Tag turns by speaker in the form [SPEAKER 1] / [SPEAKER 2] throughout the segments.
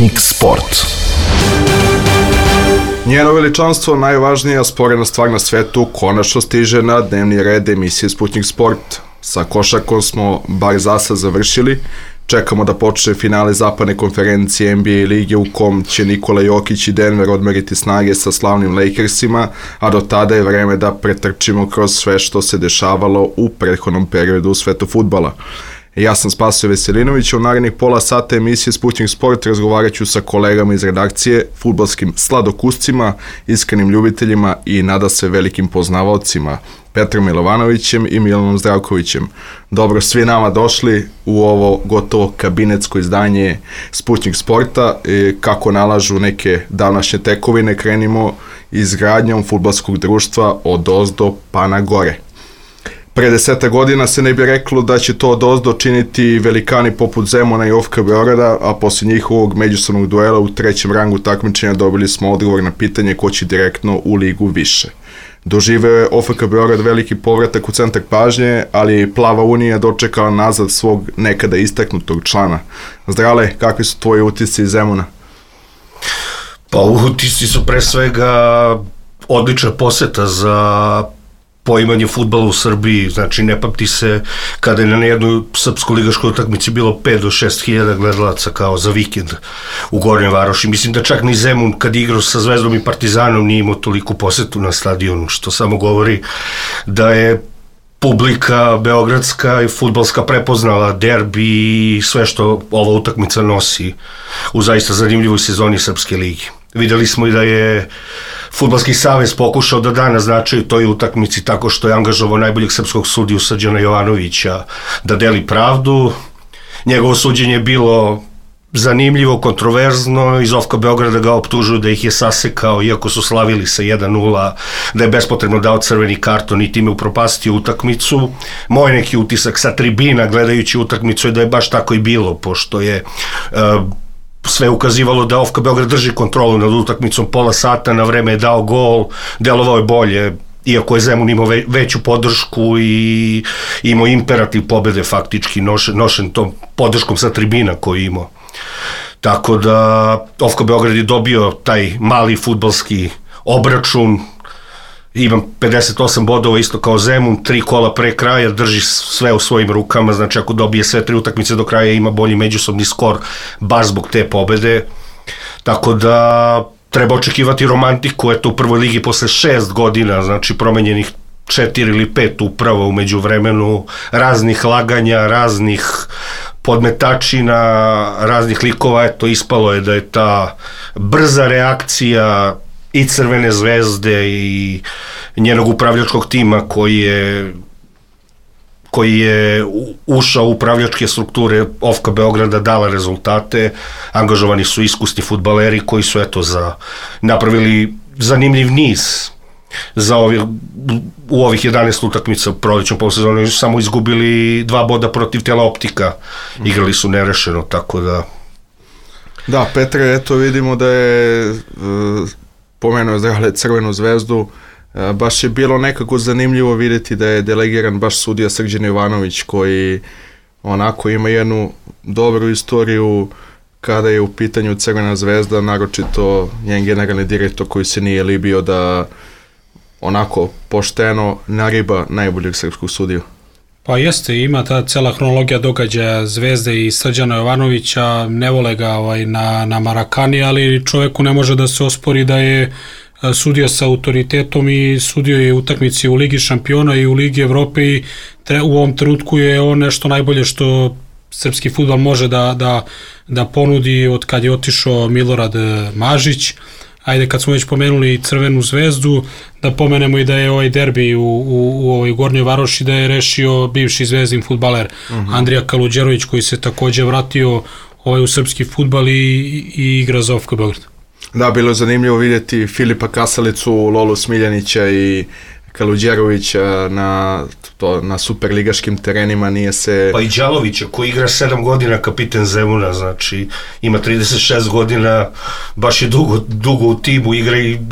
[SPEAKER 1] Sputnik Sport.
[SPEAKER 2] Njeno veličanstvo, najvažnija sporedna stvar na svetu, konačno stiže na dnevni red emisije Sputnik Sport. Sa košarkom smo bar zasad završili. Čekamo da počne finale zapadne konferencije NBA lige u kom će Nikola Jokić i Denver odmeriti snage sa slavnim Lakersima, a do tada je vreme da pretrčimo kroz sve što se dešavalo u prethodnom periodu u svetu fudbala. Ja sam Spasoje Veselinović, u narednih pola sata emisije Sputnik Sport razgovarat ću sa kolegama iz redakcije, fudbalskim sladokuscima, iskrenim ljubiteljima i nada se velikim poznavaocima, Petrom Milovanovićem i Milanom Zdravkovićem. Dobro svi nama došli u ovo gotovo kabinetsko izdanje Sputnik Sporta. Kako nalažu neke današnje tekovine, krenimo izgradnjom fudbalskog društva od ozdo pa na gore. Pre 10 godina se ne bi reklo da će to odozdo činiti velikani poput Zemuna i OFK Beograda, a posle njihovog međusobnog duela u trećem rangu takmičenja dobili smo odgovor na pitanje ko će direktno u ligu više. Doživeo je OFK Beograd veliki povratak u centar pažnje, ali Plava Unija dočekala nazad svog nekada istaknutog člana. Zdrale, kakvi su tvoji utisci iz Zemuna?
[SPEAKER 3] Pa utisci su pre svega odlična poseta za poimanje fudbala u Srbiji, znači ne pamti se kada je na jednoj srpsko-ligaškoj utakmici bilo 5 do 6 hiljada gledalaca kao za vikend u Gornjoj Varoši. Mislim da čak ni Zemun kad igrao sa Zvezdom i Partizanom nije imao toliku posetu na stadionu, što samo govori da je publika beogradska i fudbalska prepoznala derbi i sve što ova utakmica nosi u zaista zanimljivoj sezoni Srpske ligi. Videli smo i da je Fudbalski savez pokušao da naznačaju toj utakmici tako što je angažovao najboljeg srpskog sudiju Srđana Jovanovića da deli pravdu. Njegovo suđenje je bilo zanimljivo, kontroverzno, iz OFK Beograda ga optužuju da ih je sasekao iako su slavili sa 1-0, da je bespotrebno dao crveni karton i time upropastio utakmicu. Moj neki utisak sa tribina gledajući utakmicu je da je baš tako i bilo, pošto je sve ukazivalo da OFK Beograd drži kontrolu nad utakmicom pola sata, na vreme je dao gol, delovao je bolje, iako je Zemun imao veću podršku i imao imperativ pobede faktički, nošen tom podrškom sa tribina koju imao. Tako da OFK Beograd je dobio taj mali fudbalski obračun, imam 58 bodova isto kao Zemun, 3 kola pre kraja, drži sve u svojim rukama, znači ako dobije sve 3 utakmice do kraja ima bolji međusobni skor baš zbog te pobede, tako da treba očekivati romantiku, eto u prvoj ligi posle 6 godina, znači promenjenih 4 ili 5 upravo u međuvremenu, raznih laganja, raznih podmetačina, raznih likova, eto ispalo je da je ta brza reakcija i Crvene zvezde i njenog upravljačkog tima koji je ušao u upravljačke strukture OFK Beograda dala rezultate. Angažovani su iskusni fudbaleri koji su napravili zanimljiv niz u ovih 11 utakmica u prolećnom polsezonu. Samo izgubili 2 boda protiv Teleoptika, igrali su nerešeno, tako da...
[SPEAKER 2] Da, Petre, eto vidimo da je pomenuo Zdrale Crvenu zvezdu, baš je bilo nekako zanimljivo vidjeti da je delegiran baš sudija Srđan Jovanović koji onako ima jednu dobru istoriju kada je u pitanju Crvena zvezda, naročito njen generalni direktor koji se nije libio da onako pošteno nariba najboljeg srpskog sudiju.
[SPEAKER 4] Pa jeste, ima ta cela hronologija događaja Zvezde i Srđana Jovanovića, ne vole ga na Marakani, ali čoveku ne može da se ospori da je sudio sa autoritetom i sudio je utakmici u Ligi šampiona i u Ligi Evrope i u ovom trenutku je on nešto najbolje što srpski fudbal može da ponudi od kad je otišao Milorad Mažić. Ajde, kad smo već pomenuli Crvenu zvezdu, da pomenemo i da je ovaj derbi u ovoj Gornjoj Varoši da je rešio bivši zvezdin fudbaler Andrija Kaluđerović koji se takođe vratio u srpski fudbal i igra za OFK Beograd.
[SPEAKER 2] Da, bilo je zanimljivo vidjeti Filipa Kasalicu, Lolu Smiljanića i Kaluđerovića na superligaškim terenima, nije se...
[SPEAKER 3] Pa i Đalovića koji igra 7 godina kapiten Zemuna, znači ima 36 godina, baš je dugo u timu,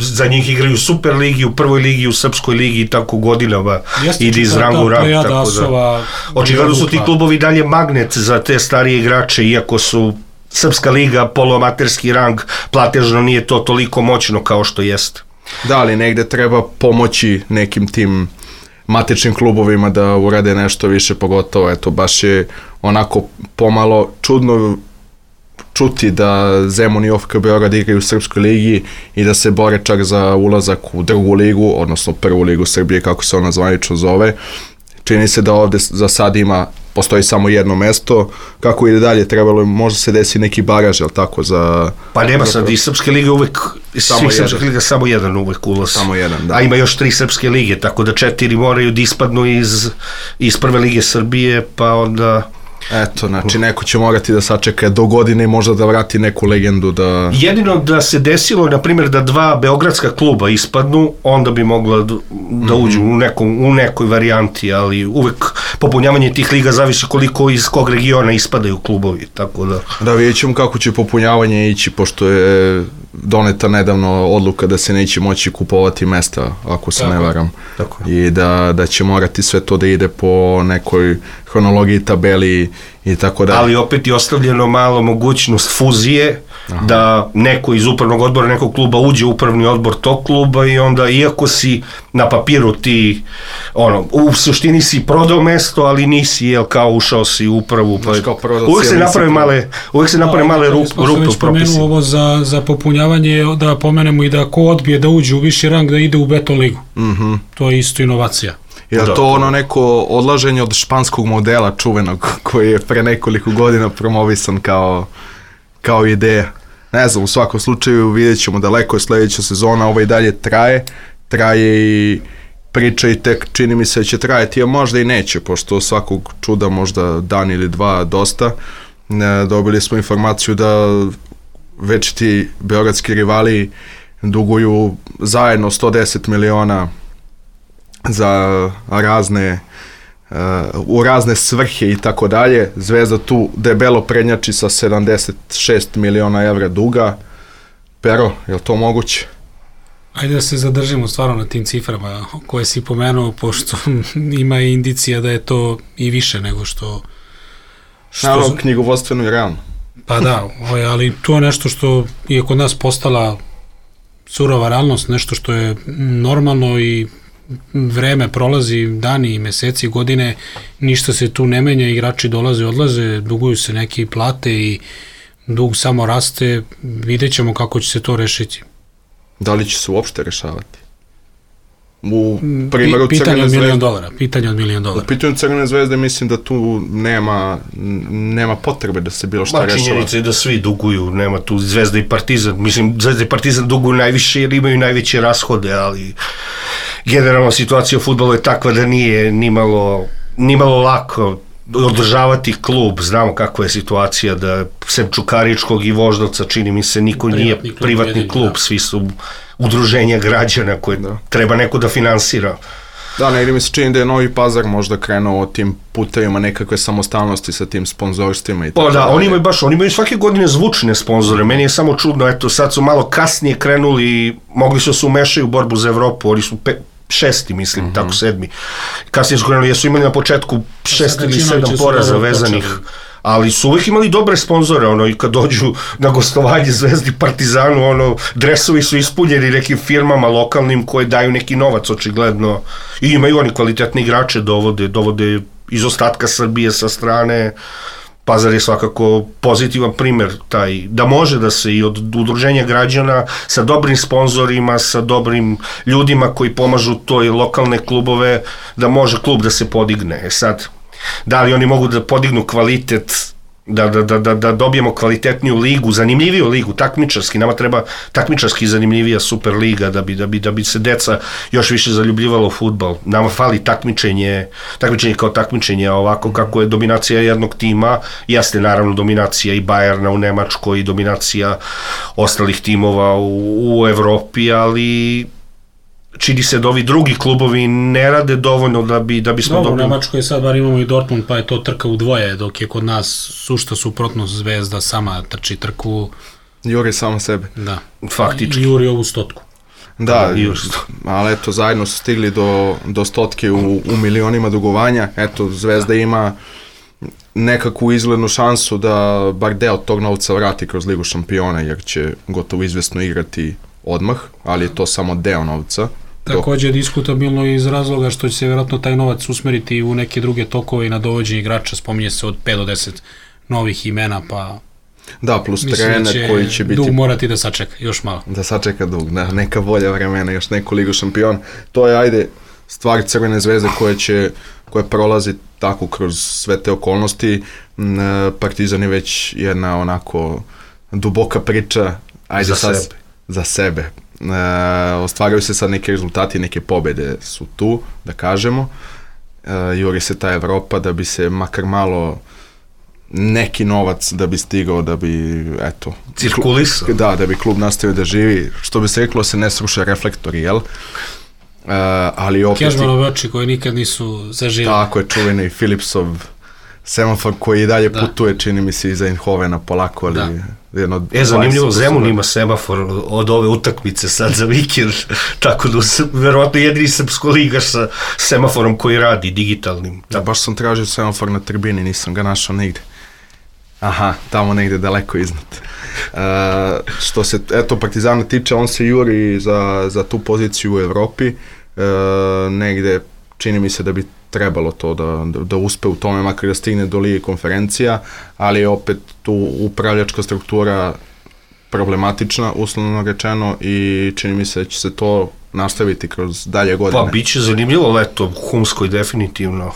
[SPEAKER 3] za njih igraju u Superligi, u prvoj ligi, u Srpskoj ligi i tako godinama, ide iz ranga u rang, tako da... Očigledno su ti klubovi dalje magnet za te starije igrače, iako su Srpska liga, poluamaterski rang, platežno nije to toliko moćno kao što jeste.
[SPEAKER 2] Da, ali negde treba pomoći nekim tim matičnim klubovima da urade nešto više, pogotovo, eto, baš je onako pomalo čudno čuti da Zemun i OFK Beograd igraju u Srpskoj ligi i da se bore čak za ulazak u drugu ligu, odnosno prvu ligu Srbije, kako se ona zvanično zove. Čini se da ovde za sad postoji samo jedno mesto. Kako ide dalje, trebalo je, možda se desi neki baraž, jel tako, za...
[SPEAKER 3] Pa nema sad, i Srpske lige uvek, svih Srpskih liga samo jedan uvek ulaz.
[SPEAKER 2] Samo jedan, da.
[SPEAKER 3] A ima još 3 Srpske lige, tako da 4 moraju da ispadnu iz prve lige Srbije, pa onda...
[SPEAKER 2] Eto, znači neko će morati da sačeka do godine i možda da vrati neku legendu da...
[SPEAKER 3] Jedino da se desilo, na primjer, da 2 beogradska kluba ispadnu, onda bi mogla da uđu u nekoj varijanti, ali uvek popunjavanje tih liga zavisi koliko iz kog regiona ispadaju klubovi, tako da...
[SPEAKER 2] Da, vidjet ćemo kako će popunjavanje ići, pošto je doneta nedavno odluka da se neće moći kupovati mesta, ako se ne varam.
[SPEAKER 3] Tako.
[SPEAKER 2] I da će morati sve to da ide po nekoj hronologiji, tabeli i tako da.
[SPEAKER 3] Ali opet je ostavljeno malo mogućnost fuzije, da neko iz upravnog odbora nekog kluba uđe u upravni odbor tog kluba i onda, iako si na papiru ti, u suštini si prodao mesto, ali nisi, kao ušao si u upravu, pa uvek se naprave male rupe u propisima.
[SPEAKER 4] Ovo za popunjavanje, da pomenemo i da ko odbije da uđe u viši rang, da ide u beton ligu. To je isto inovacija.
[SPEAKER 2] Je li to neko odlaženje od španskog modela čuvenog koji je pre nekoliko godina promovisan kao ideja? Ne znam, u svakom slučaju vidjet ćemo, daleko je sledeća sezona, ovo i dalje traje i priča i tek čini mi se će trajati, a možda i neće, pošto svakog čuda možda dan ili dva dosta. Dobili smo informaciju da već ti beogradski rivali duguju zajedno 110 miliona za u razne svrhe i tako dalje. Zvezda tu debelo prednjači sa 76 miliona evra duga. Pero, je li to moguće?
[SPEAKER 4] Ajde da se zadržimo stvarno na tim ciframa koje si pomenuo, pošto ima indicija da je to i više nego što...
[SPEAKER 2] Naravno, knjigovodstveno i realno.
[SPEAKER 4] Pa da, ali to je nešto što je kod nas postala surova realnost, nešto što je normalno i vreme prolazi, dani i meseci, godine, ništa se tu ne menja, igrači dolaze, odlaze, duguju se neki plate i dug samo raste, vidjet ćemo kako će se to rešiti.
[SPEAKER 2] Da li će se uopšte rešavati? U primjeru
[SPEAKER 4] pitanje od $1 milion.
[SPEAKER 2] U pitanju Crvene zvezde mislim da tu nema potrebe da se bilo šta rešava.
[SPEAKER 3] Činjenica je da svi duguju, nema tu Zvezda i Partizan. Mislim, Zvezda i Partizan duguju najviše jer imaju najveće rashode, ali generalno situacija u fudbalu je takva da nije nimalo lako održavati klub. Znamo kakva je situacija, da sem Čukaričkog i Voždovca, čini mi se, niko nije privatni klub, svi su udruženja građana koje treba neko da finansira.
[SPEAKER 2] Da, negdje mi se čini da je Novi Pazar možda krenuo tim putevima nekakve samostalnosti sa tim sponzorstvima i tako.
[SPEAKER 3] Da, oni imaju svake godine zvučne sponzore, meni je samo čudno, eto sad su malo kasnije krenuli, mogli su se umešaju u borbu za Evropu, oni su 6. mislim, tako 7. Kasnije su krenuli, jesu imali na početku 6 ili 7 poraza vezanih, ali su uvijek imali dobre sponzore, i kad dođu na gostovanje Zvezdi, Partizanu, dresovi su ispunjeni nekim firmama lokalnim koje daju neki novac, očigledno, i imaju oni kvalitetni igrače, dovode iz ostatka Srbije sa strane. Pazar je svakako pozitivan primjer taj, da može da se i od udruženja građana sa dobrim sponzorima, sa dobrim ljudima koji pomažu toj lokalne klubove, da može klub da se podigne. Sad, da li oni mogu da podignu kvalitet, da dobijemo kvalitetniju ligu, zanimljiviju ligu, takmičarski, nama treba takmičarski zanimljivija super liga da bi se deca još više zaljubljivalo u fudbal. Nama fali takmičenje kao takmičenje, ovako kako je dominacija jednog tima, jeste naravno dominacija i Bajerna u Nemačkoj i dominacija ostalih timova u Evropi, ali čini se da ovi drugi klubovi ne rade dovoljno da bismo dobili.
[SPEAKER 4] U Nemačkoj sad bar imamo i Dortmund, pa je to trka u dvoje, dok je kod nas sušta suprotnost, Zvezda sama trči trku.
[SPEAKER 2] Juri samo sebe.
[SPEAKER 4] Da.
[SPEAKER 3] Faktički.
[SPEAKER 4] Juri ovu stotku.
[SPEAKER 2] Da, ali eto, zajedno su stigli do stotke u milionima dugovanja. Eto, Zvezda ima nekakvu izglednu šansu da bar deo tog novca vrati kroz Ligu šampiona, jer će gotovo izvesno igrati odmah, ali je to samo deo novca.
[SPEAKER 4] Takođe je diskutabilno iz razloga što će se vjerojatno taj novac usmeriti u neke druge tokove i na dovođenje igrača, spominje se od 5 do 10 novih imena, pa
[SPEAKER 2] da, plus trener koji će biti...
[SPEAKER 4] Dug morati da sačeka, još malo.
[SPEAKER 2] Da sačeka Dug, da, neka bolja vremena, još neku Ligu šampiona. To je, ajde, stvar Crvene zvezde koja prolazi tako kroz sve te okolnosti. Partizan je već jedna onako duboka priča, ajde za sebe. Ostvaraju se sad neke rezultati, neke pobede su tu, da kažemo. Juri se ta Evropa da bi se makar malo neki novac da bi stigao, da bi, eto...
[SPEAKER 3] Cirkulisao.
[SPEAKER 2] Da bi klub nastavio da živi. Što bi se reklo, se ne sruše reflektori, jel? Ali opet...
[SPEAKER 4] Kežmanove oči koje nikad nisu zaživjeli.
[SPEAKER 2] Tako je, čuveni Philipsov semafor koji i dalje putuje, čini mi se, iza Eindhovena polako, ali...
[SPEAKER 3] zanimljivo, Zemun ima semafor od ove utakmice sad za vikend, tako da verovatno jedini srpskoligaš sa semaforom koji radi, digitalnim.
[SPEAKER 2] Da, baš sam tražio semafor na tribini, nisam ga našao nigde. Aha, tamo negde daleko iznad. Što se, Partizana tiče, on se juri za tu poziciju u Evropi, negde čini mi se da bi trebalo to da uspe u tome, makar da stigne do Lige konferencija, ali je opet tu upravljačka struktura problematična, uslovno rečeno, i čini mi se da će se to nastaviti kroz dalje godine.
[SPEAKER 3] Pa, bit će zanimljivo leto u Humskoj, definitivno.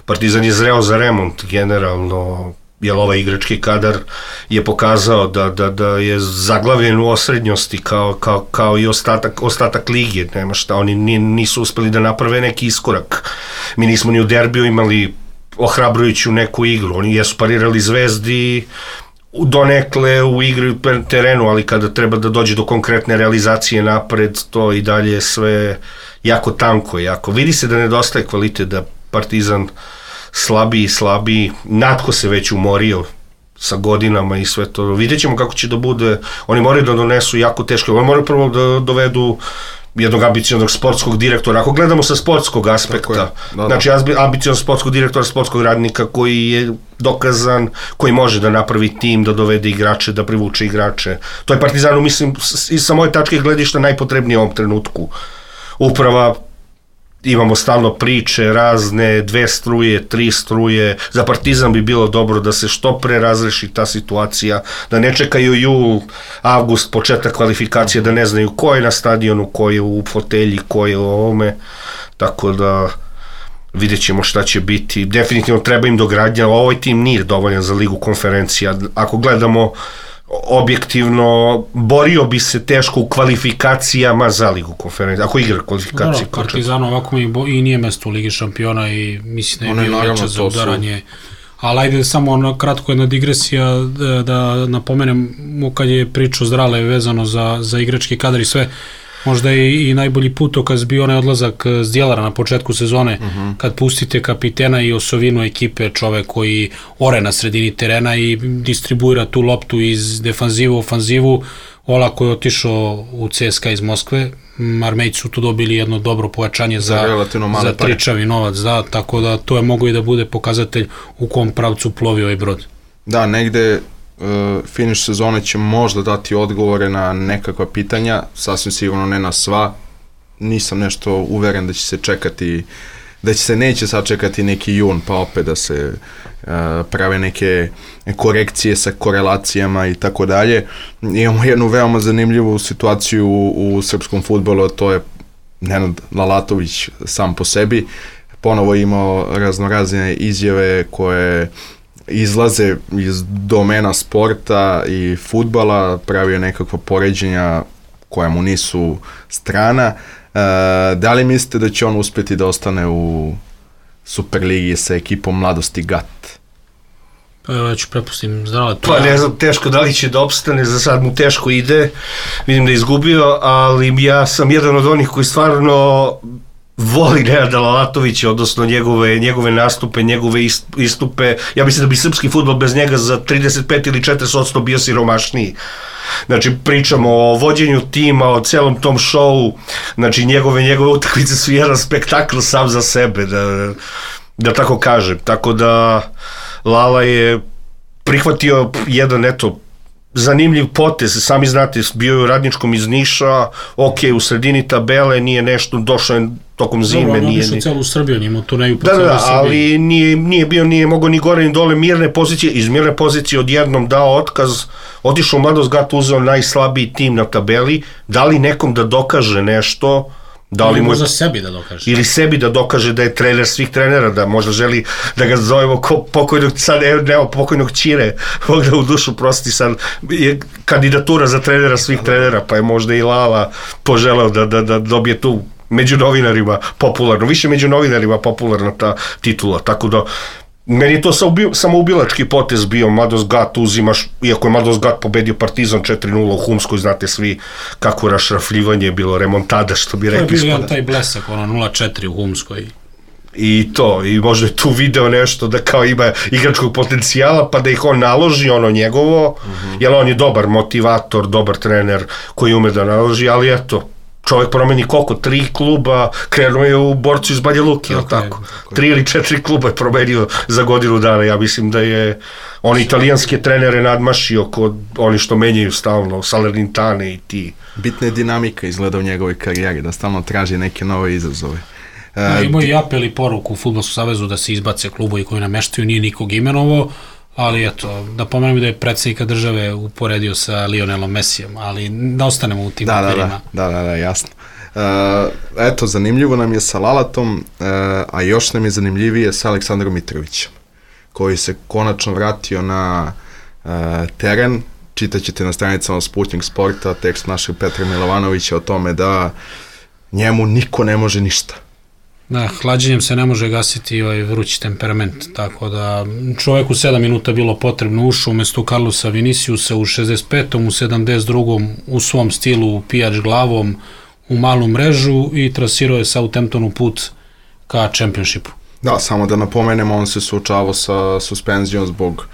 [SPEAKER 3] Partizan je zreo za remont, generalno, jer ovaj igrački kadar je pokazao da je zaglavljen u osrednjosti kao i ostatak lige, nema šta, oni nisu uspeli da naprave neki iskorak. Mi nismo ni u derbiju imali ohrabrujuću neku igru, oni jesu parirali Zvezdi donekle u igri u terenu, ali kada treba da dođe do konkretne realizacije napred, to i dalje sve jako tanko, jako. Vidi se da nedostaje kvalitet, da Partizan slabiji, Natko se već umorio sa godinama i sve to. Vidjet ćemo kako će da bude, oni moraju da donesu jako teško, oni moraju prvo da dovedu jednog ambicioznog sportskog direktora, ako gledamo sa sportskog aspekta, znači ambicioznog sportskog direktora, sportskog radnika koji je dokazan, koji može da napravi tim, da dovede igrače, da privuče igrače. To je Partizanu, mislim, i sa moje tačke gledišta najpotrebnije u ovom trenutku. Uprava, imamo stalno priče razne, 2 struje, 3 struje, za Partizan bi bilo dobro da se što pre razreši ta situacija, da ne čekaju jul, avgust, početak kvalifikacije, da ne znaju ko je na stadionu, ko je u fotelji, ko je u ovome, tako da vidjet ćemo šta će biti. Definitivno treba im dogradnja, ovaj tim nije dovoljan za Ligu konferencija, ako gledamo objektivno, borio bi se teško u kvalifikacijama za Ligu konferencije, ako igra kvalifikacije.
[SPEAKER 4] Partizan ovako i nije mesto u Ligi šampiona i mislim da je bio veća za udaranje. Ali ajde samo kratko jedna digresija da napomenemo kad je pričao Zdrale vezano za igrački kadar i sve, možda je i najbolji putokaz bio onaj odlazak Zdjelara na početku sezone, kad pustite kapitena i osovinu ekipe, čovek koji ore na sredini terena i distribuira tu loptu iz defanzivu u ofanzivu. Olako je otišao u CSKA iz Moskve, Armejci su tu dobili jedno dobro pojačanje za tričavi novac, da, tako da to je mogo i da bude pokazatelj u kom pravcu plovi ovaj brod.
[SPEAKER 2] Da, negde finiš sezone će možda dati odgovore na nekakva pitanja, sasvim sigurno ne na sva. Nisam nešto uveren da će se čekati, da će se neće sačekati neki jun pa opet da se prave neke korekcije sa korelacijama i tako dalje. Imamo jednu veoma zanimljivu situaciju u srpskom fudbalu, a to je Nenad Lalatović sam po sebi. Ponovo imao raznorazne izjave koje izlaze iz domena sporta i fudbala, pravio nekakva poređenja koja mu nisu strana. Da li mislite da će on uspjeti da ostane u Superligi sa ekipom Mladosti GAT?
[SPEAKER 4] Pa ja ću prepustim Zdrale.
[SPEAKER 3] Pa ne znam, teško da li će da opstane, za sad mu teško ide, vidim da je izgubio, ali ja sam jedan od onih koji stvarno voli Nenada Lalatovića, odnosno njegove nastupe, njegove istupe. Ja mislim da bi srpski fudbal bez njega za 35 ili 40% bio siromašniji. Znači, pričamo o vođenju tima, o celom tom šovu, znači njegove utakmice su jedan spektakl sam za sebe. da tako kažem. Tako da Lala je prihvatio jedan, zanimljiv potez, sami znate, bio je u Radničkom iz Niša, u sredini tabele, nije nešto, došao je tokom zime.
[SPEAKER 4] Dobro, on išao celu Srbiju, njima turneju po celoj Srbiji.
[SPEAKER 3] Ali nije mogao ni gore ni dole, mirne pozicije, iz mirne pozicije odjednom dao otkaz, otišao u Mladost Gat, uzeo najslabiji tim na tabeli, da li nekom da dokaže nešto,
[SPEAKER 4] ili možda sebi da dokaže.
[SPEAKER 3] Ili sebi da dokaže da je trener svih trenera, da možda želi da ga zovemo pokojnog Ćire, Bog da u dušu prosti, sad je kandidatura za trenera svih trenera, pa je možda i Lala poželeo da dobije tu među novinarima popularno, više među novinarima popularna ta titula, tako da meni je to samoubilački potez bio. Mladost Gat uzimaš, iako je Mladost Gat pobedio Partizan 4-0 u Humskoj, znate svi kako rašrafljivanje je bilo, remontada, što bi rekli.
[SPEAKER 4] To je bio taj blesak, 0-4 u Humskoj.
[SPEAKER 3] I možda je tu video nešto da kao ima igračkog potencijala, pa da ih on naloži, njegovo, jer on je dobar motivator, dobar trener koji ume da naloži, ali čovjek promeni koliko? 3 kluba, krenuo je u Borcu iz Banja Luke, tako? 3 ili 4 kluba je promenio za godinu dana. Ja mislim da je on italijanske trenere nadmašio kod oni što menjaju stalno, Salernitane i ti.
[SPEAKER 2] Bitna je dinamika izgleda u njegovoj karijeri, da stalno traži neke nove izazove.
[SPEAKER 4] Imao i apel i poruku u Fudbalskom savezu da se izbace klubovi koji nameštaju, nije nikog imenovo, ali da pomenem da je predsjednika države uporedio sa Lionelom Messijem, ali da ostanemo u tim papirima.
[SPEAKER 2] Da, jasno. Zanimljivo nam je sa Lalatom, a još nam je zanimljivije sa Aleksandrom Mitrovićem, koji se konačno vratio na teren. Čitaćete na stranicama Sputnik Sporta tekst našeg Petra Milovanovića o tome da njemu niko ne može ništa.
[SPEAKER 4] Da, hlađenjem se ne može gasiti vrući temperament, tako da čoveku 7 minuta bilo potrebno, ušao umesto Carlosa Viniciusa u 65. u 72. u svom stilu pijač glavom u malu mrežu i trasirao je Southamptonu put ka čempionšipu.
[SPEAKER 2] Da, samo da napomenemo, on se suočavao sa suspenzijom zbog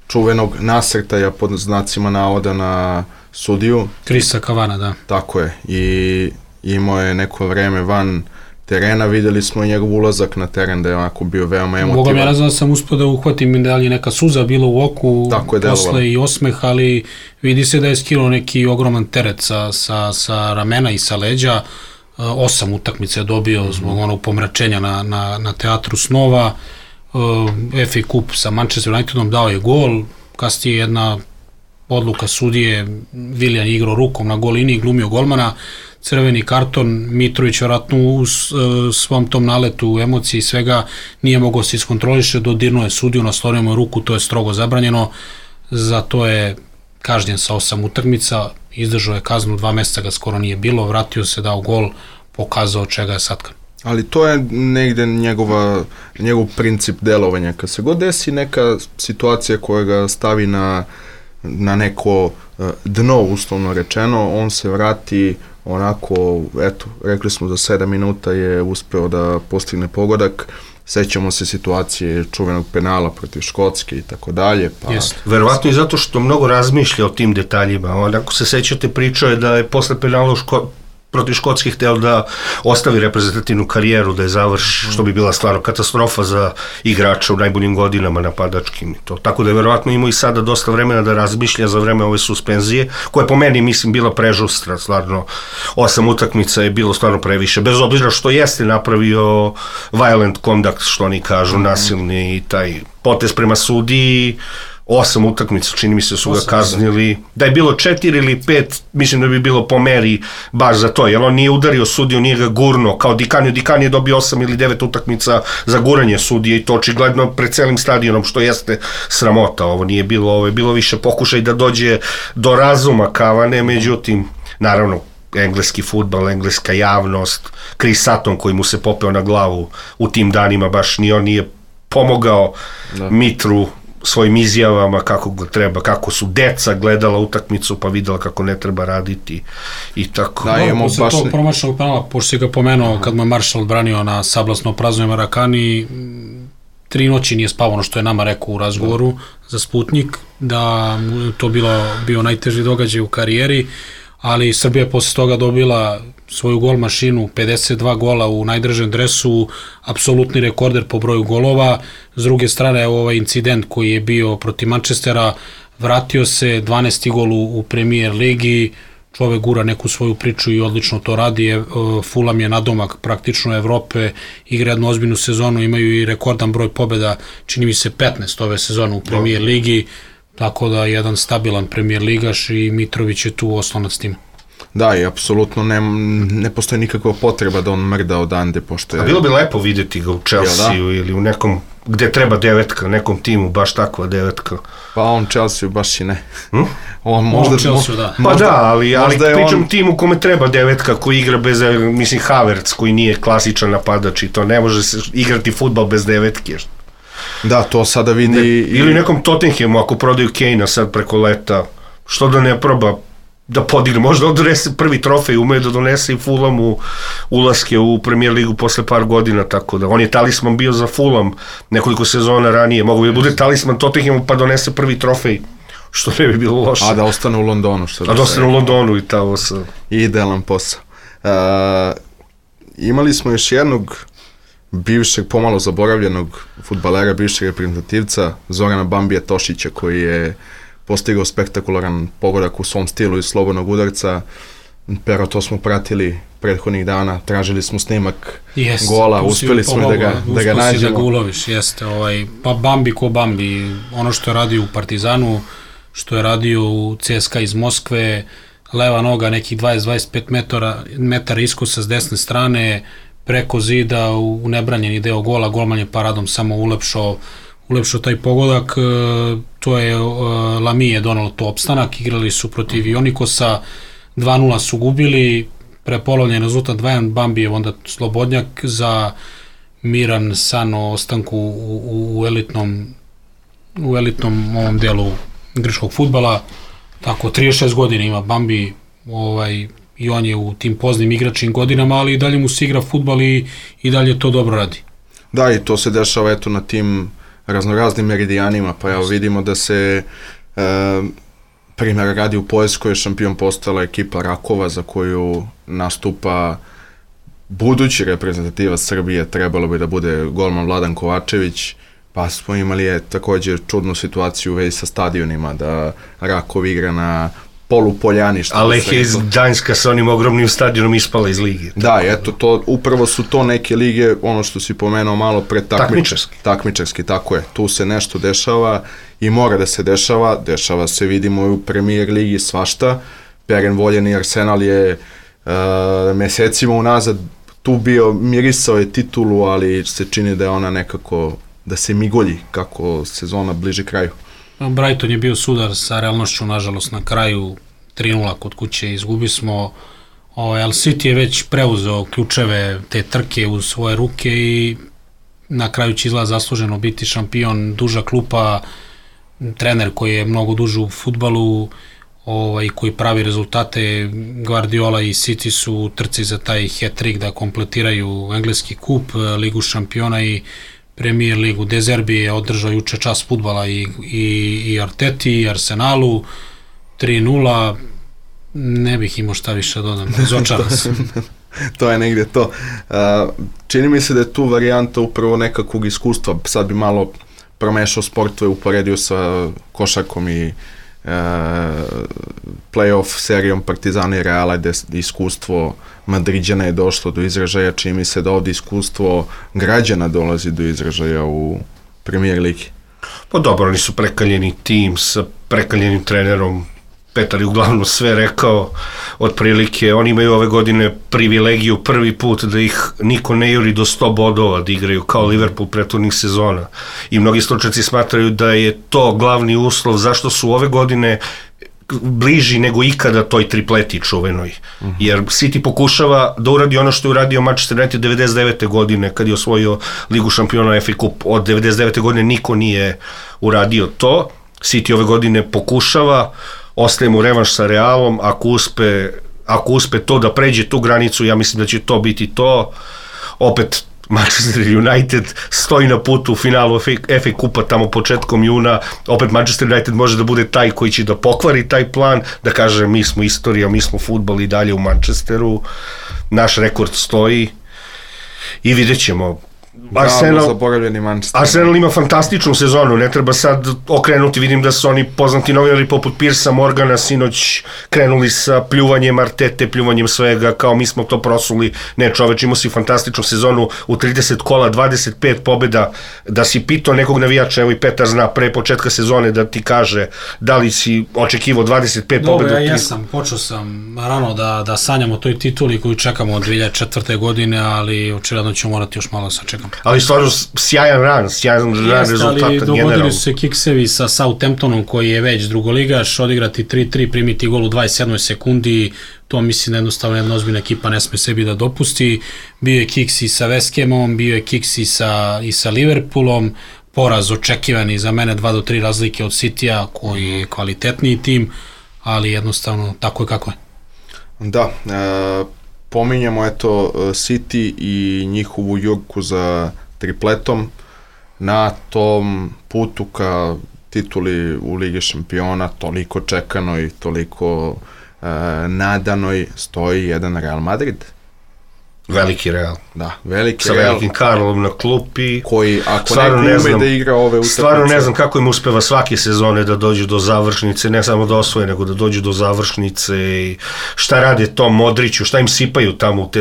[SPEAKER 2] čuvenog nasrtaja pod znacima navoda na sudiju.
[SPEAKER 4] Krisa Kavana, da.
[SPEAKER 2] Tako je, i imao je neko vreme van terena, videli smo i njegov ulazak na teren da je onako bio veoma emotivan. Bogom, ja ne znam da sam uspio da uhvatim da li je neka suza bila u oku, posle i osmeh, ali vidi se da je skinuo neki ogroman teret sa ramena i sa leđa. 8 utakmica je dobio zbog onog pomračenja na Teatru snova. FA Cup sa Manchester Unitedom dao je gol, kasnije jedna odluka sudije, Viljan igrao rukom na gol liniji, glumio golmana, crveni karton, Mitrović vratno u svom tom naletu emocije i svega nije mogao se iskontroliše, dodirnuo je sudiju, naslorio mu ruku, to je strogo zabranjeno, zato je kažnjen sa 8 utakmica, izdržao je kaznu, 2 meseca ga skoro nije bilo, vratio se, dao gol, pokazao čega je satkan. Ali to je negde njegov princip delovanja. Kad se god desi neka situacija koja ga stavi na neko dno, uslovno rečeno, on se vrati onako, rekli smo za 7 minuta je uspeo da postigne pogodak. Sećamo se situacije čuvenog penala protiv Škotske i tako dalje.
[SPEAKER 3] Verovatno i zato što mnogo razmišlja o tim detaljima. Ako se sećate, pričao je da je posle penala protiv Škotskih hteo da ostavi reprezentativnu karijeru, da je završi, što bi bila stvarno katastrofa za igrača u najboljim godinama napadačkim. Tako da je verovatno imao i sada dosta vremena da razmišlja za vreme ove suspenzije, koja je po meni, mislim, bila prežustra, stvarno 8 utakmica je bilo stvarno previše, bez obzira što jeste napravio violent conduct, što oni kažu, nasilni i taj potez prema sudiji. 8 utakmica, čini mi se su ga kaznili. Da je bilo 4 ili 5, mislim da bi bilo po meri baš za to, jer on nije udario sudiju, nije ga gurno, kao Dikan je dobio 8 ili 9 utakmica za guranje sudije i to očigledno pred celim stadionom, što jeste sramota. Ovo nije bilo, ovo je bilo više pokušaj da dođe do razuma Kavane, međutim, naravno, engleski fudbal, engleska javnost, Chris Sutton koji mu se popeo na glavu u tim danima, baš ni on nije pomogao Mitru svojim izjavama kako ga treba, kako su deca gledala utakmicu pa videla kako ne treba raditi i tako.
[SPEAKER 4] Posle tog promašenog penala, pošto si ga pomenuo kad mu je Maršal odbranio na sablasno praznoj Marakani, 3 noći nije spavao, ono što je nama rekao u razgovoru za Sputnik, da to bio najteži događaj u karijeri, ali Srbija je posle toga dobila svoju gol mašinu, 52 gola u najdržem dresu, apsolutni rekorder po broju golova. S druge strane, ovaj incident koji je bio protiv Manchestera, vratio se, 12. gol u Premier ligi, čovek gura neku svoju priču i odlično to radi. Fulham je nadomak praktično Evrope, igra jednu ozbiljnu sezonu, imaju i rekordan broj pobjeda, čini mi se 15 ove sezone u Premier ligi, tako da jedan stabilan Premier ligaš i Mitrović je tu oslonac tima.
[SPEAKER 2] Da, i apsolutno ne postoji nikakva potreba da on mrda odande, pošto je...
[SPEAKER 3] A bilo bi lepo vidjeti ga u Chelsea-u ili u nekom, gde treba devetka, nekom timu, baš takva devetka.
[SPEAKER 2] Pa on Chelsea baš i ne.
[SPEAKER 4] On možda Chelsea, da.
[SPEAKER 3] Pa da, ali pričam timu kome treba devetka koji igra bez, mislim, Havertz koji nije klasičan napadač i to ne može se igrati fudbal bez devetke.
[SPEAKER 2] Da, to sada vidi...
[SPEAKER 3] Ili nekom Tottenhamu, ako prodaju Kane-a sad preko leta, što da ne proba da podigne, možda odnese prvi trofej, umeje da donese i Fulhamu ulaske u Premier ligu posle par godina, tako da on je talisman bio za Fulham nekoliko sezona ranije, mogu bi da bude talisman Tottenhamu pa donese prvi trofej, što ne bi bilo loše.
[SPEAKER 2] A da ostane u Londonu.
[SPEAKER 3] A da ostane u Londonu i tamo sa...
[SPEAKER 2] Idealan posao. Imali smo još jednog bivšeg, pomalo zaboravljenog fudbalera, bivšeg reprezentativca, Zorana Bambija Tošića, koji je postigao spektakularan pogodak u svom stilu iz slobodnog udarca. Pero to smo pratili prethodnih dana, tražili smo snimak gola, uspeli smo da ga nađemo.
[SPEAKER 4] Uspeli da ga uloviš, jeste. Pa Bambi ko Bambi, ono što je radio u Partizanu, što je radio u CSKA iz Moskve, leva noga nekih 20-25 metara iskosa s desne strane, preko zida u nebranjeni deo gola, golman je paradom samo ulepšao taj pogodak. To je Lami je donalo to opstanak, igrali su protiv Ionikosa, 2-0 su gubili, prepolovljen rezultat 2-1, Bambijev onda slobodnjak za miran san o ostanku u elitnom ovom delu grčkog fudbala. Tako, 36 godina ima Bambi, i on je u tim poznim igračnim godinama, ali i dalje mu se igra fudbal i dalje to dobro radi.
[SPEAKER 2] Da, i to se dešava eto na tim raznoraznim meridijanima, pa evo vidimo da se primjer radi u Poljskoj, šampion postala ekipa Rakova za koju nastupa budući reprezentativac Srbije, trebalo bi da bude golman Vladan Kovačević, pa smo imali također čudnu situaciju u vezi sa stadionima, da Rakov igra na polupoljani.
[SPEAKER 3] A Lehija iz Gdańska sa onim ogromnim stadionom ispala iz lige.
[SPEAKER 2] Da, eto, upravo su to neke lige, ono što si pomenuo malo pre takmičarski, tako je. Tu se nešto dešava i mora da se dešava se, vidimo i u Premier ligi svašta. Peren voljeni Arsenal je mesecima unazad tu bio, mirisao je titulu, ali se čini da je ona nekako, da se migolji kako sezona bliži kraju.
[SPEAKER 4] Brighton je bio sudar sa realnošću, nažalost, na kraju 3-0 kod kuće, izgubi smo, ali City je već preuzeo ključeve te trke u svoje ruke i na kraju će izgleda zasluženo biti šampion, duža klupa, trener koji je mnogo duže u fudbalu, koji pravi rezultate. Guardiola i City su u trci za taj hat-trick da kompletiraju engleski kup, ligu šampiona i Premier ligu. De Zerbi je održao juče čas fudbala i Arteti i Arsenalu, 3-0, ne bih imao šta više dodam, razočaran sam.
[SPEAKER 2] To je negdje to. Čini mi se da je tu varijanta upravo nekakvog iskustva, sad bi malo promešao sportove, uporedio sa košarkom i play-off serijom Partizana i Reala, gde iskustvo Madriđana je došlo do izražaja, čini mi se da ovdje iskustvo građana dolazi do izražaja u Premier ligi.
[SPEAKER 3] Pa dobro, oni su prekaljeni tim sa prekaljenim trenerom, Petar je uglavnom sve rekao, otprilike oni imaju ove godine privilegiju prvi put da ih niko ne juri do 100 bodova, da igraju kao Liverpool prethodnih sezona i mnogi stručnjaci smatraju da je to glavni uslov zašto su ove godine bliži nego ikada toj tripleti čuvenoj. Jer City pokušava da uradi ono što je uradio Manchester United 99. godine kad je osvojio Ligu šampiona, FA Cup. Od 99. godine niko nije uradio to. City ove godine pokušava, ostaje mu revanš sa Realom, ako uspe to da pređe tu granicu, ja mislim da će to biti to. Opet Manchester United stoji na putu u finalu FA Kupa tamo početkom juna, opet Manchester United može da bude taj koji će da pokvari taj plan, da kaže mi smo istorija, mi smo fudbal i dalje u Manchesteru. naš rekord stoji i vidjet ćemo. Arsenal ima fantastičnu sezonu, ne treba sad okrenuti, vidim da su oni poznati novinari poput Piersa Morgana sinoć krenuli sa pljuvanjem Artete, pljuvanjem svega, kao mi smo to prosuli. Ne, čoveč, imao si fantastičnu sezonu u 30 kola, 25 pobjeda, da si pitao nekog navijača, evo i Petar zna, pre početka sezone da ti kaže da li si očekivao 25 pobjeda.
[SPEAKER 4] Dobro, ja jesam, počeo sam rano da sanjam o toj tituli koju čekamo od 2004. godine, ali očigledno ćemo morati još malo sačekati.
[SPEAKER 3] Ali stvarno sjajan ran rezultata generalno.
[SPEAKER 4] Dogodili su se kiksevi sa Southamptonom koji je već drugoligaš, odigrati 3-3, primiti gol u 21. sekundi, to mislim da jednostavno jedna ozbiljna ekipa ne sme sebi da dopusti. Bio je kiks i sa West Hamom, bio je kiks i sa Liverpoolom, poraz očekivani za mene 2-3 razlike od Citya koji je kvalitetniji tim, ali jednostavno tako je kako je.
[SPEAKER 2] Da, pominjamo eto City i njihovu jurku za tripletom na tom putu ka tituli u Ligi šampiona, toliko čekanoj, toliko nadanoj, stoji jedan Real Madrid.
[SPEAKER 3] Veliki Real.
[SPEAKER 2] Da, veliki
[SPEAKER 3] sa
[SPEAKER 2] Real.
[SPEAKER 3] Sa velikim Karlom na klupi.
[SPEAKER 2] Koji, ako neko ume da igra ove utakmice...
[SPEAKER 3] Stvarno ne znam kako im uspeva svake sezone da dođu do završnice, ne samo da osvoje, nego da dođu do završnice i šta rade tom Modriću, šta im sipaju tamo u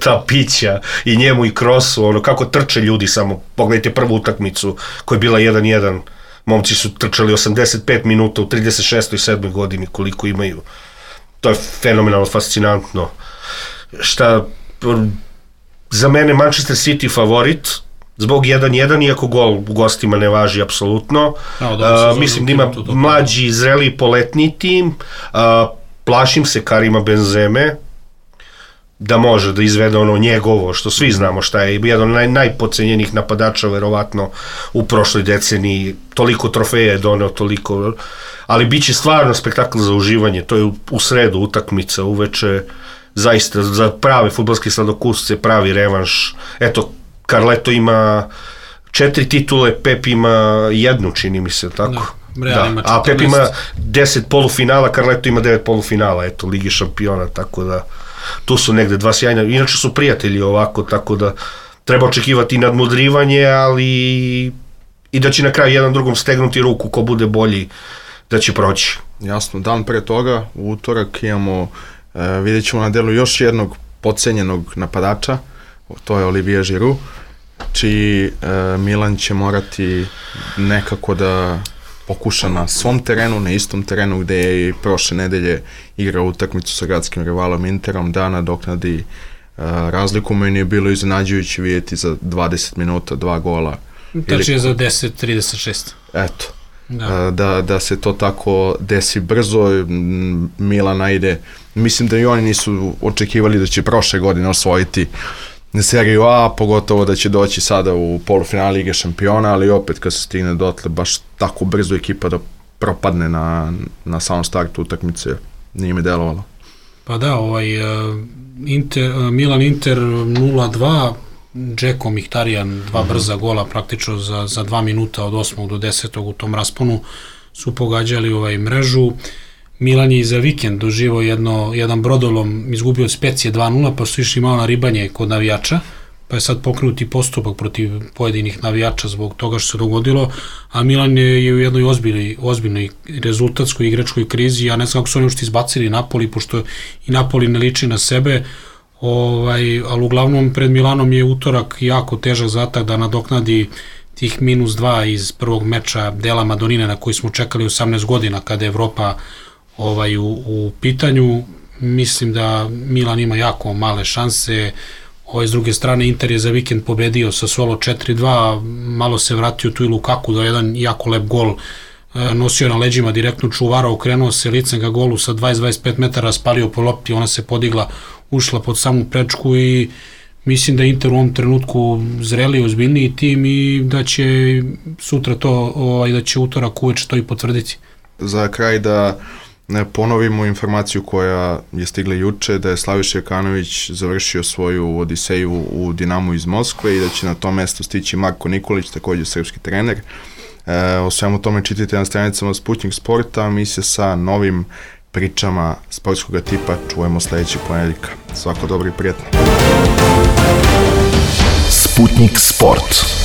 [SPEAKER 3] ta pića i njemu i Krosu, ono, kako trče ljudi samo. Pogledajte prvu utakmicu koja je bila 1-1. Momci su trčali 85 minuta u 36. i 7. godini, koliko imaju. To je fenomenalno, fascinantno. Šta... Za mene Manchester City favorit zbog 1-1, iako gol u gostima ne važi apsolutno. Mislim da ima mlađi, zreli, poletni tim. Plašim se Karima Benzeme da može da izvede ono njegovo, što svi znamo šta je, jedan od najpocenjenih napadača verovatno u prošloj deceniji, toliko trofeja je doneo, toliko, ali bit će stvarno spektakl za uživanje. To je u sredu utakmica uveče, zaista za prave fudbalske sladokusce, pravi revanš. Eto, Carleto ima 4 titule, Pep ima 1, čini mi se, tako?
[SPEAKER 4] Da.
[SPEAKER 3] A Pep ima 10 polufinala, Carleto ima 9 polufinala, eto, Ligi šampiona, tako da tu su negde dva sjajna, inače su prijatelji ovako, tako da treba očekivati nadmudrivanje, ali i da će na kraju jedan drugom stegnuti ruku, ko bude bolji, da će proći.
[SPEAKER 2] Jasno, dan pre toga, u utorak imamo, vidjet ćemo na delu još jednog podcenjenog napadača, to je Olivier Giroud, čiji Milan će morati nekako da pokuša na svom terenu, na istom terenu gde je i prošle nedelje igrao utakmicu sa gradskim rivalom Interom, da nadoknadi razliku. Meni je bilo iznenađujuće vidjeti za 20 minuta 2 gola.
[SPEAKER 4] Tači je za 10-36.
[SPEAKER 2] Eto, da se to tako desi brzo, Milana ide, mislim da i oni nisu očekivali da će prošle godine osvojiti seriju A, pogotovo da će doći sada u polufinale Lige šampiona, ali opet kad se stigne dotle baš tako brzo ekipa da propadne na samom startu utakmice, nije mi delovalo.
[SPEAKER 4] Pa da, Milan-Inter 0-2, Džeko Mkhitaryan 2 brza gola praktično za 2 minuta od 8. do 10. u tom rasponu su pogađali mrežu. Milan je i za vikend doživao jedan brodolom, izgubio od Specije 2-0, pa su išli malo na ribanje kod navijača, pa je sad pokrenuti postupak protiv pojedinih navijača zbog toga što se dogodilo, a Milan je u jednoj ozbiljnoj rezultatskoj igračkoj krizi. Ja ne znam kako su oni ušte izbacili Napoli, pošto i Napoli ne liči na sebe, ali uglavnom pred Milanom je utorak jako težak zadatak da nadoknadi tih -2 iz prvog meča Dela Madonine na koji smo čekali 18 godina kada je Evropa u pitanju. Mislim da Milan ima jako male šanse. S druge strane, Inter je za vikend pobedio sa Solo 4-2, malo se vratio tu i Lukaku da jedan jako lep gol nosio na leđima, direktno čuvara, okrenuo se licem ga golu sa 20-25 metara, spalio po lopti, ona se podigla, ušla pod samu prečku i mislim da Inter u ovom trenutku zreli, ozbiljniji tim i da će sutra to, da će utorak uveče to i potvrditi.
[SPEAKER 2] Za kraj da ponovimo informaciju koja je stigla juče, da je Slaviša Jokanović završio svoju odiseju u Dinamu iz Moskve i da će na to mesto stići Marko Nikolić, također srpski trener. O svemu tome čitajte na stranicama Sputnik Sporta, mi se sa novim pričama sportskog tipa čujemo sledećeg ponedeljka. Svako dobro i prijatno.
[SPEAKER 1] Sputnik Sport.